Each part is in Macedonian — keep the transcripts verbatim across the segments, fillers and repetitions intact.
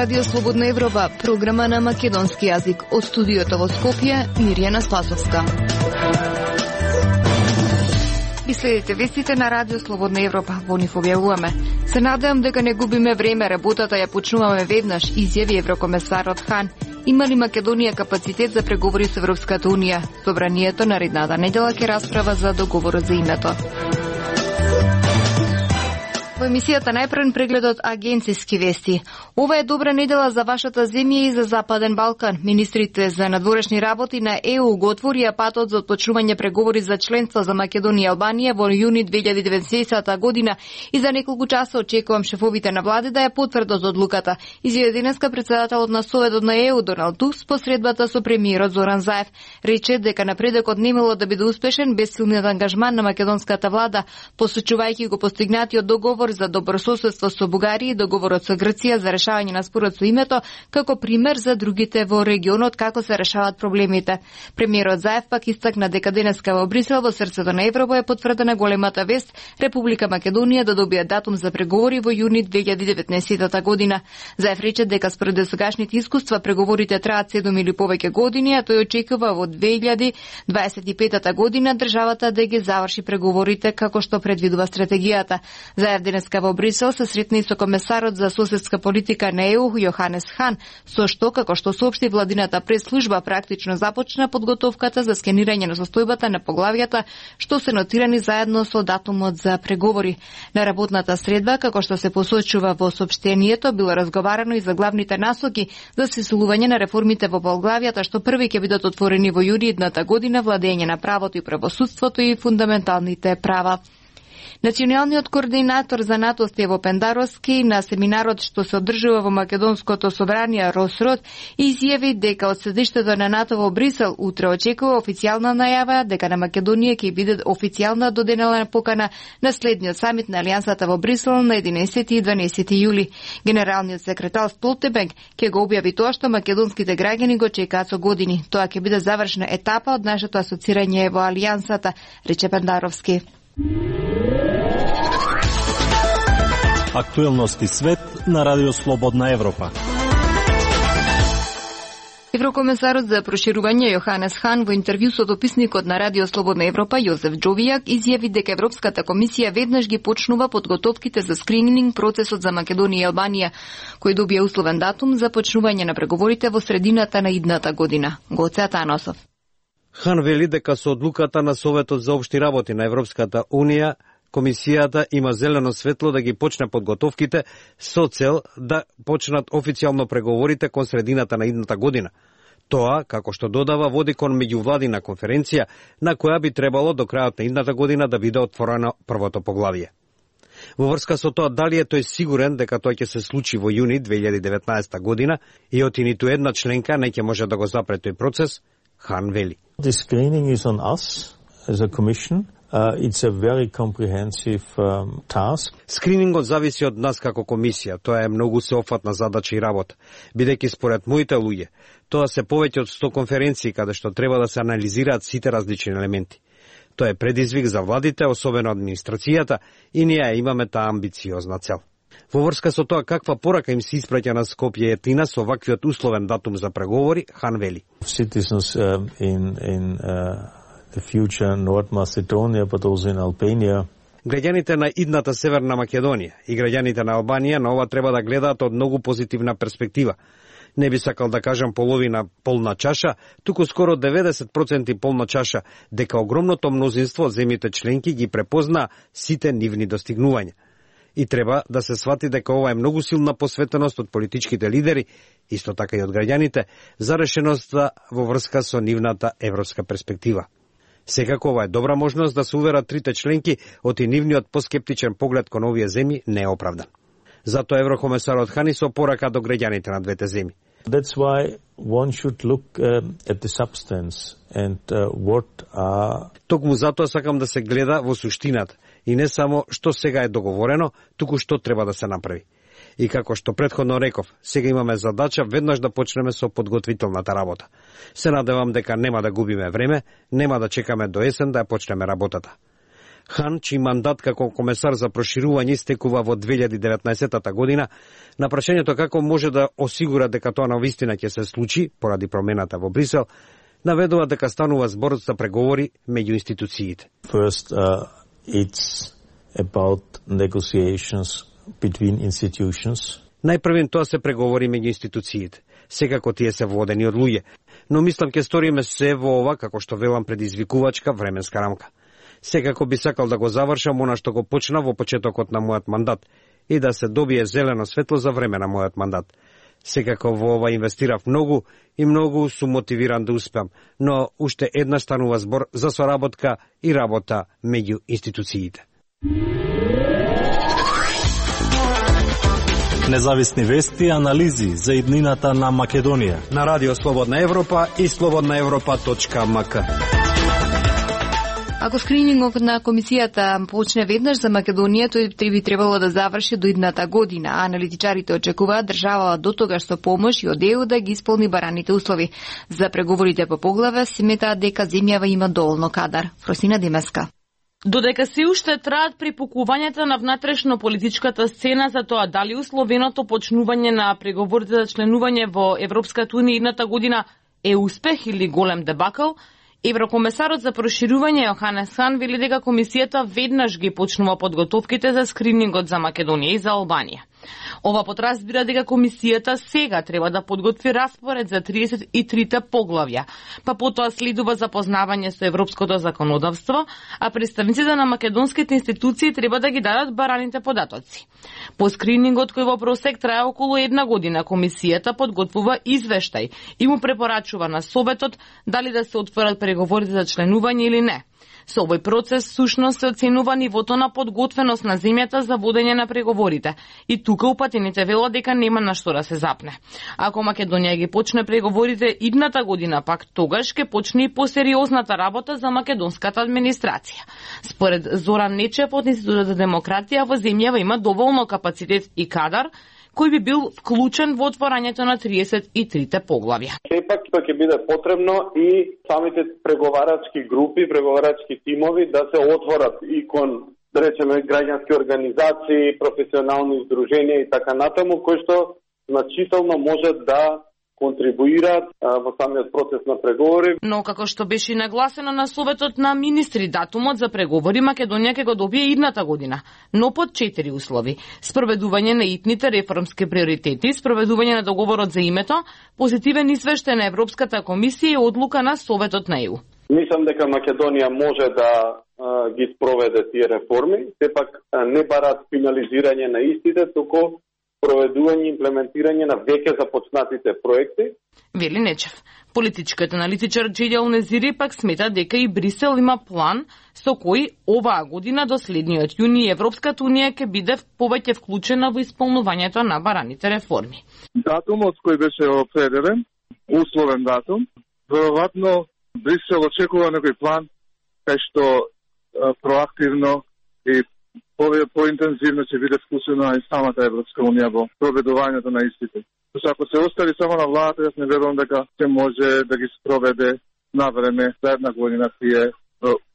Радио Слободна Европа, програма на македонски јазик. Од студиото во Скопје, Мирјана Спасовска. Ви следите вестите на Радио Слободна Европа. Во нив објавуваме. Се надевам дека не губиме време, работата ја почнуваме веднаш, изјави еврокомесарот Хан. Има ли Македонија капацитет за преговори со Европската Унија? Собранието наредната недела ќе расправа за договорот за името. Во емисијата најпрвен прегледот агенцијски вести. Ова е добра недела за вашата земја и за Западен Балкан. Министрите за надворешни работи на Е У го отворија патот за отпочнување преговори за членство за Македонија и Албанија во јуни две илјади и деветнаесета година и за неколку часа очекувам шефовите на влади да ја потврдат одлуката. Изјави денеска председателот на Советот на Е У Доналд Туск посредбата со премиерот Зоран Заев. Рече дека напредокот немало да биде успешен без силниот ангажман на македонската влада, посочувајќи го постигнатиот договор за добрососедство со Бугарија и договорот со Грција за решавање на спорот со името како пример за другите во регионот како се решаваат проблемите. Премиерот Заев пак истакна дека денеска во Брисел, во срцето на Европа, е потврдена големата вест Република Македонија да добие датум за преговори во јуни две илјади и деветнаесета година. Заев рече дека според досегашните искуства преговорите траат седум или повеќе години, а тој очекува во две илјади дваесет и пета година државата да ги заврши преговорите како што предвидува стратегијата. Заев денеска во Брисел се сретна и со комесарот за соседска политика на Е У Јоханес Хан, со што, како што соопшти владината прес-служба, практично започна подготовката за скенирање на состојбата на поглавјата што се нотирани заедно со датумот за преговори. На работната средба, како што се посочува во соопштението, било разговарано и за главните насоки за сесилување на реформите во поглавјата што први ќе бидат отворени во јуни идната година, владење на правото и правосудството и фундаменталните права. Националниот координатор за НАТО Стево Пендаровски на семинарот што се одржува во Македонското собрание Росрод изјави дека од седиштето на НАТО во Брисел утре очекува официјална најава дека на Македонија ќе биде официјална доденела покана на следниот самит на Алијансата во Брисел на единаесети и дванаесети јули. Генералниот секретар Столтенберг ќе го објави тоа што македонските граѓани го чекаат со години. Тоа ќе биде завршна етапа од нашето асоцирање во Алијансата, рече Пендаровски. Актуелности свет на Радио Слободна Европа. Еврокомесарот за проширување Јоханес Хан во интервју со дописникот на Радио Слободна Европа Јозеф Џовијак изјави дека Европската комисија веднаш ги почнува подготовките за скрининг процесот за Македонија и Албанија, кој добија условен датум за почнување на преговорите во средината на идната година. Гоце Атанасов. Хан вели дека со одлуката на Советот за општи работи на Европската Унија Комисијата има зелено светло да ги почне подготовките со цел да почнат официјално преговорите кон средината на идната година. Тоа, како што додава, води кон меѓувладина конференција на која би требало до крајот на идната година да биде отворено првото поглавје. Во врска со тоа дали е тој сигурен дека тоа ќе се случи во јуни две илјади и деветнаесета година и оти ниту една членка не ќе може да го запре тој процес, Хан вели. The screening is on us as a commission. Uh, it's a very comprehensive um, task. Скринингот зависи од нас како комисија. Тоа е многу сеопфатна задача и работа. Бидејќи според моите луѓе, тоа се повеќе од сто конференции каде што треба да се анализираат сите различни елементи. Тоа е предизвик за владите, особено администрацијата, и ние имаме таа амбициозна цел. Во врска со тоа каква порака им се испраќа на Скопје и Атина со ваквиот условен датум за преговори, Хан вели. Citizens uh, in in uh... the future North Macedonia, but also in Albania. Граѓаните на идната Северна Македонија и граѓаните на Албанија на ова треба да гледаат од многу позитивна перспектива. Не би сакал да кажам половина полна чаша, туку скоро деветдесет проценти полна чаша, дека огромното мнозинство од земјите членки ги препозна сите нивни достигнувања. И треба да се свати дека ова е многу силна посветеност од политичките лидери, исто така и од граѓаните, за решеноста во врска со нивната европска перспектива. Секако ова е добра можност да се уверат трите членки оти нивниот поскептичен поглед кон овие земји не е оправдан. Затоа еврокомесарот Хани со порака до граѓаните на двете земји. That's why one should look uh, at the substance and uh, what are... Токму затоа сакам да се гледа во суштината и не само што сега е договорено, туку што треба да се направи. И како што претходно реков, сега имаме задача веднаш да почнеме со подготвителната работа. Се надевам дека нема да губиме време, нема да чекаме до есен да ја почнеме работата. Хан, чиј мандат како комесар за проширување истекува во две илјади и деветнаесетта година, на прашањето како може да осигура дека тоа навистина ќе се случи поради промената во Брисел, наведува дека станува збор за преговори меѓу институциите. First, uh, it's about negotiations between institutions. Најпрвен тоа се преговори меѓу институциите. Секако тие се водени од луѓе, но мислам ќе сториме се во ова, како што велам, предизвикувачка временска рамка. Секако би сакал да го завршам она што го почна во почетокот на мојот мандат и да се добие зелено светло за време на мојот мандат. Секако во ова инвестирав многу и многу сум мотивиран да успеам, но уште еднаш станува збор за соработка и работа меѓу институциите. Независни вести и анализи за иднината на Македонија На Радио Слободна Европа и слободна европа точка ем ка. Ако скринингот на комисијата почне веднаш за Македонија, тој би требало да заврши до идната година, а аналитичарите очекуваат државава до тогаш со помош и од Е У да ги исполни бараните услови. За преговорите по поглаве сметаат дека земјава има доволно кадар. Фросина Демеска. Додека се уште траат припукувањата на внатрешно политичката сцена за тоа дали условеното почнување на преговорите за членување во Европската унија идната година е успех или голем дебакл, Еврокомесарот за проширување Јоханес Хан вели дека комисијата веднаш ги почнува подготовките за скринингот за Македонија и за Албанија. Ова подразбира дека комисијата сега треба да подготви распоред за триесет и трите поглавја, па потоа следува запознавање со европското законодавство, а представниците на македонските институции треба да ги дадат бараните податоци. По скринингот кој во просек трае околу една година, комисијата подготвува извештај и му препорачува на Советот дали да се отворат преговорите за членување или не. Со овој процес сушност се оценува нивото на подготвеност на земјата за водење на преговорите. И тука упатените велат дека нема на што да се запне. Ако Македонија ги почне преговорите идната година, пак тогаш ќе почне и посериозната работа за македонската администрација. Според Зоран Нечев од Институтот за демократија, во земјава има доволно капацитет и кадар кој би бил вклучен во отворањето на триесет и трите поглавја. Сепак ќе биде потребно и самите преговарачки групи, преговарачки тимови да се отворат и кон, да речеме, граѓански организации, професионални издруженија и така натаму, кои што значително може да контрибуираат во самиот процес на преговори. Но како што беше нагласено на Советот на министри, датумот за преговори Македонија ќе го добие идната година, но под четири услови: спроведување на итните реформски приоритети, спроведување на договорот за името, позитивен извештај на Европската комисија и одлука на Советот на Е У. Мислам дека Македонија може да а, ги спроведе тие реформи, сепак а, не барат финализирање на истите, туку проведување и имплементирање на веќе започнатите проекти. Вели Нечев. Политичкиот аналитичар Джедјал Незири пак смета дека и Брисел има план со кој оваа година до следниот јуни Европската унија ќе биде повеќе вклучена во исполнувањето на бараните реформи. Датумот кој беше определен, условен датум, веројатно Брисел очекува некој план кај што а, проактивно и поинтензивно ќе биде вклучена и самата Европска унија во проведувањето на истите. Зашто ако се остави само на владата, јас не верувам дека ќе може да ги спроведе на време за една година тие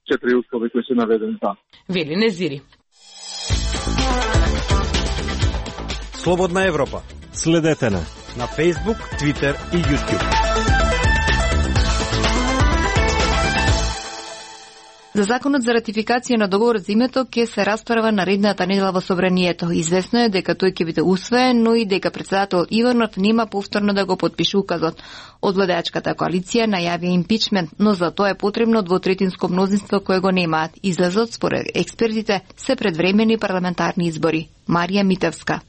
четири услови кои се наведени таму. Вели Незири. Слободна Европа. Следете на на Facebook, Twitter и YouTube. За законот за ратификација на договорот за името ќе се расправа наредната недела во собранието. Известно е дека тој ќе биде усвоен, но и дека председател Иванов нема повторно да го подпише указот. Од владеачката коалиција најавија импичмент, но за тоа е потребно двотретинско мнозинство кое го немаат. Излезот според експертите се предвремени парламентарни избори. Марија Митевска.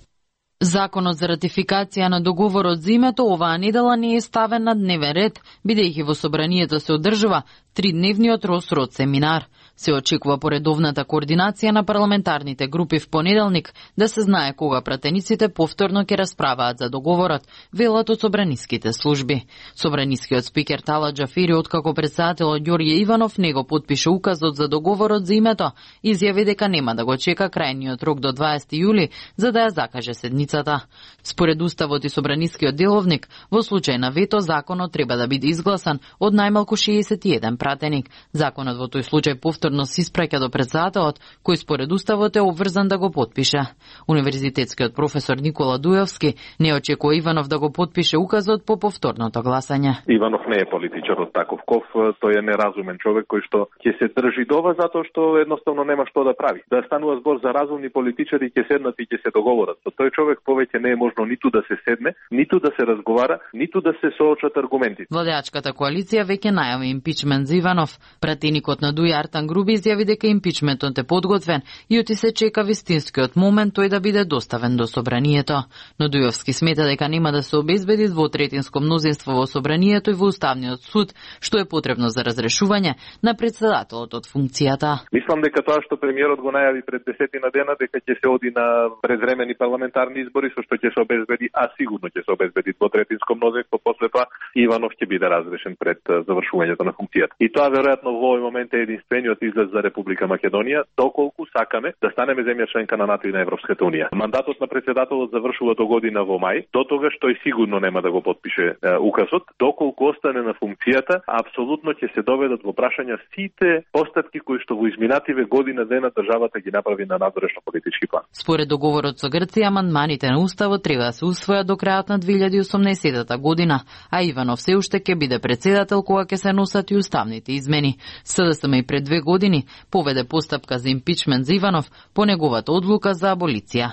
Законот за ратификација на договорот за името оваа недела не е ставен на дневен ред, бидејќи во собранието се одржува тридневниот Росрод семинар. Се очекува поредовната координација на парламентарните групи в понеделник да се знае кога пратениците повторно ќе расправаат за договорот, велат од собраниските служби. Собранискиот спикер Тала Џафери, откако председателот Ѓорѓе Иванов не го подпише указот за договорот за името, изјави дека нема да го чека крајниот рок до дваесети јули за да ја закаже седницата. Според уставот и собранискиот деловник, во случај на вето законот треба да биде изгласан од најмалку шеесет и еден пратеник. Законот во тој случај повторно повторно се испраќа до претседателот, кој според уставот е обврзан да го потпише. Универзитетскиот професор Никола Дуевски не очекува Иванов да го потпише указот по повторното гласање. Иванов не е политичар од Таковков, тој е неразумен човек кој што ќе се држи до ова затоа што едноставно нема што да прави. Да станува збор за разумни политичари, ќе седнат и ќе се договорат. Со тој човек повеќе не е можно ниту да се седне, ниту да се разговара, ниту да се соочат аргументи. Владеачката коалиција веќе најави импичмент за Иванов. Пратеникот на Дуј Артан Груби изјави дека импичментот е подготвен и оти се чека вистинскиот момент тој да биде доставен до собранието. Но Дујовски смета дека нема да се обезбеди двотретинско мнозинство во собранието и во уставниот суд, што е потребно за разрешување на претседателот од функцијата. Мислам дека тоа што премиерот го најави пред десетина дена дека ќе се оди на предвремени парламентарни избори со што ќе се обезбеди, а сигурно ќе се обезбеди двотретинско мнозинство, после тоа Иванов ќе биде разрешен пред завршувањето на функцијата. И тоа веројатно во овој момент е единствениот излез за Република Македонија, доколку сакаме да станеме земја членка на НАТО и на Европската унија. Мандатот на претседателот завршува до година во мај, до тогаш тој сигурно нема да го потпише е, указот, доколку остане на функцијата, апсолутно ќе се доведат во прашања сите постапки кои што во изминативе година дена државата ги направи на надворешно политички план. Според договорот со Грција, амандманите на уставот треба да се усвојат до крајот на две илјади и осумнаесетта година, а Иванов се уште ќе биде претседател кога ќе се носат и уставните измени. СДСМ и пред две години поведе постапка за импичмент за Иванов по неговата одлука за аболиција.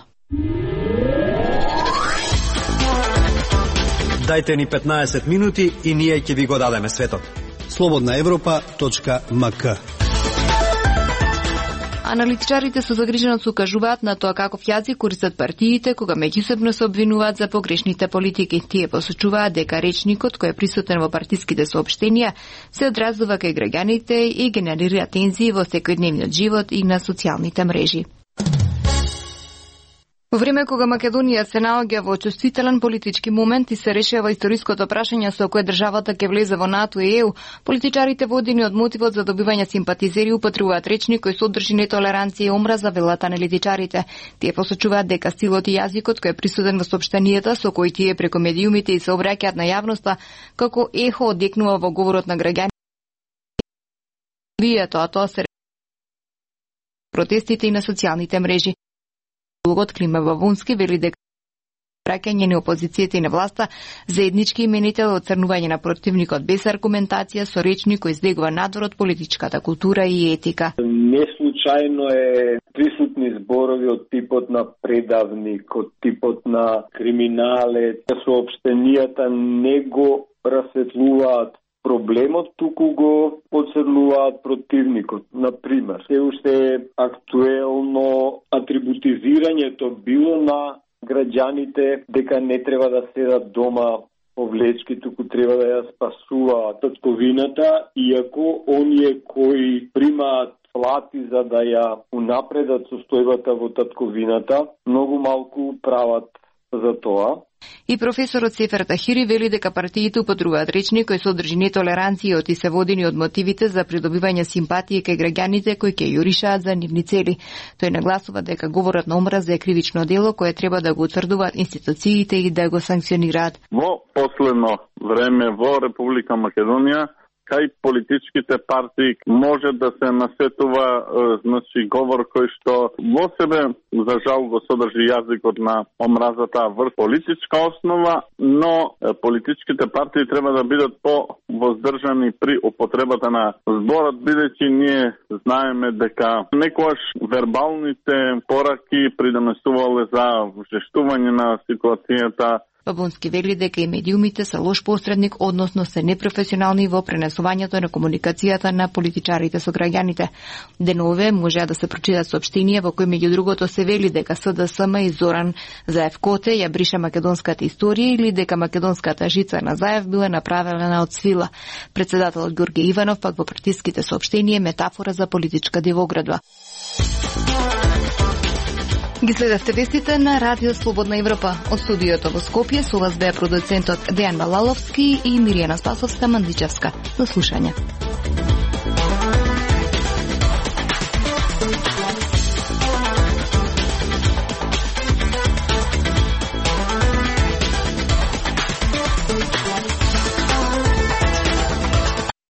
Дајте ни петнаесет минути и ние ќе ви го дадеме светот. слободна европа точка ем ка. Аналитичарите со загриженост укажуваат на тоа каков јазик користат партиите кога меѓусебно се обвинуваат за погрешните политики. Тие посочуваат дека речникот кој е присутен во партиските соопштенија се одразува кај граѓаните и генерира тензии во секојдневниот живот и на социјалните мрежи. Во време кога Македонија се наоѓа во чувствителен политички момент и се решава историското прашање со кое државата ќе влезе во НАТО и Е У, политичарите водени од мотивот за добивање симпатизери употребуваат речник кој содржи нетолеранција и омраза, велат аналитичарите. Тие посочуваат дека стилот и јазикот кој е присутен во соопштенијата со кои тие преку медиумите и се обраќаат на јавноста како ехо одекнува во говорот на граѓаните, а тоа се протестите и на социјалните мрежи. Логот Клима Бавунски вели дека праќање на опозицијата и на власта заеднички именител оцрнување на противникот без аргументација со речник кој избегува надвор од политичката култура и етика. Не случајно е присутни зборови од типот на предавник, од типот на криминалец. Соопштенијата не го расветлуваат проблемот, туку го подсрнуваат противникот. Например, се уште е актуелно атрибутизирањето било на граѓаните дека не треба да седат дома по влечки, туку треба да ја спасуваат татковината, иако оние кои примаат плати за да ја унапредат состојбата во татковината, многу малку прават за тоа. И професорот Сефер Тахири вели дека партиите употребуваат речник кој содржи нетолеранција и се водени од мотивите за придобивање симпатија кај граѓаните кои ќе јуришаат за нивни цели. Тој нагласува дека говорот на омраза е кривично дело кое треба да го утврдуваат институциите и да го санкционираат. Во последно време во Република Македонија кај политичките партии може да се насетува значи говор кој што во себе за жал го содржи јазикот на омразата врз политичка основа, но политичките партии треба да бидат по-воздржани при употребата на зборот, бидејќи ние знаеме дека некогаш вербалните пораки придонесувале за вжештување на ситуацијата. Бабунски вели дека и медиумите се лош посредник, односно се непрофесионални во пренесувањето на комуникацијата на политичарите со граѓаните. Денове можеа да се прочитат соопштенија во кои меѓу другото се вели дека СДСМ и Зоран Заев Коте ја бриша македонската историја или дека македонската жица на Заев била направена од свила. Претседателот Ѓорѓе Иванов пак во притиските соопштенија метафора за политичка дивоградба. Ги следевте вестите на Радио Слободна Европа. Од студиото во Скопје со вас беа продуцентот Дејан Балаловски и Миријана Спасовска-Мандичевска. До слушање.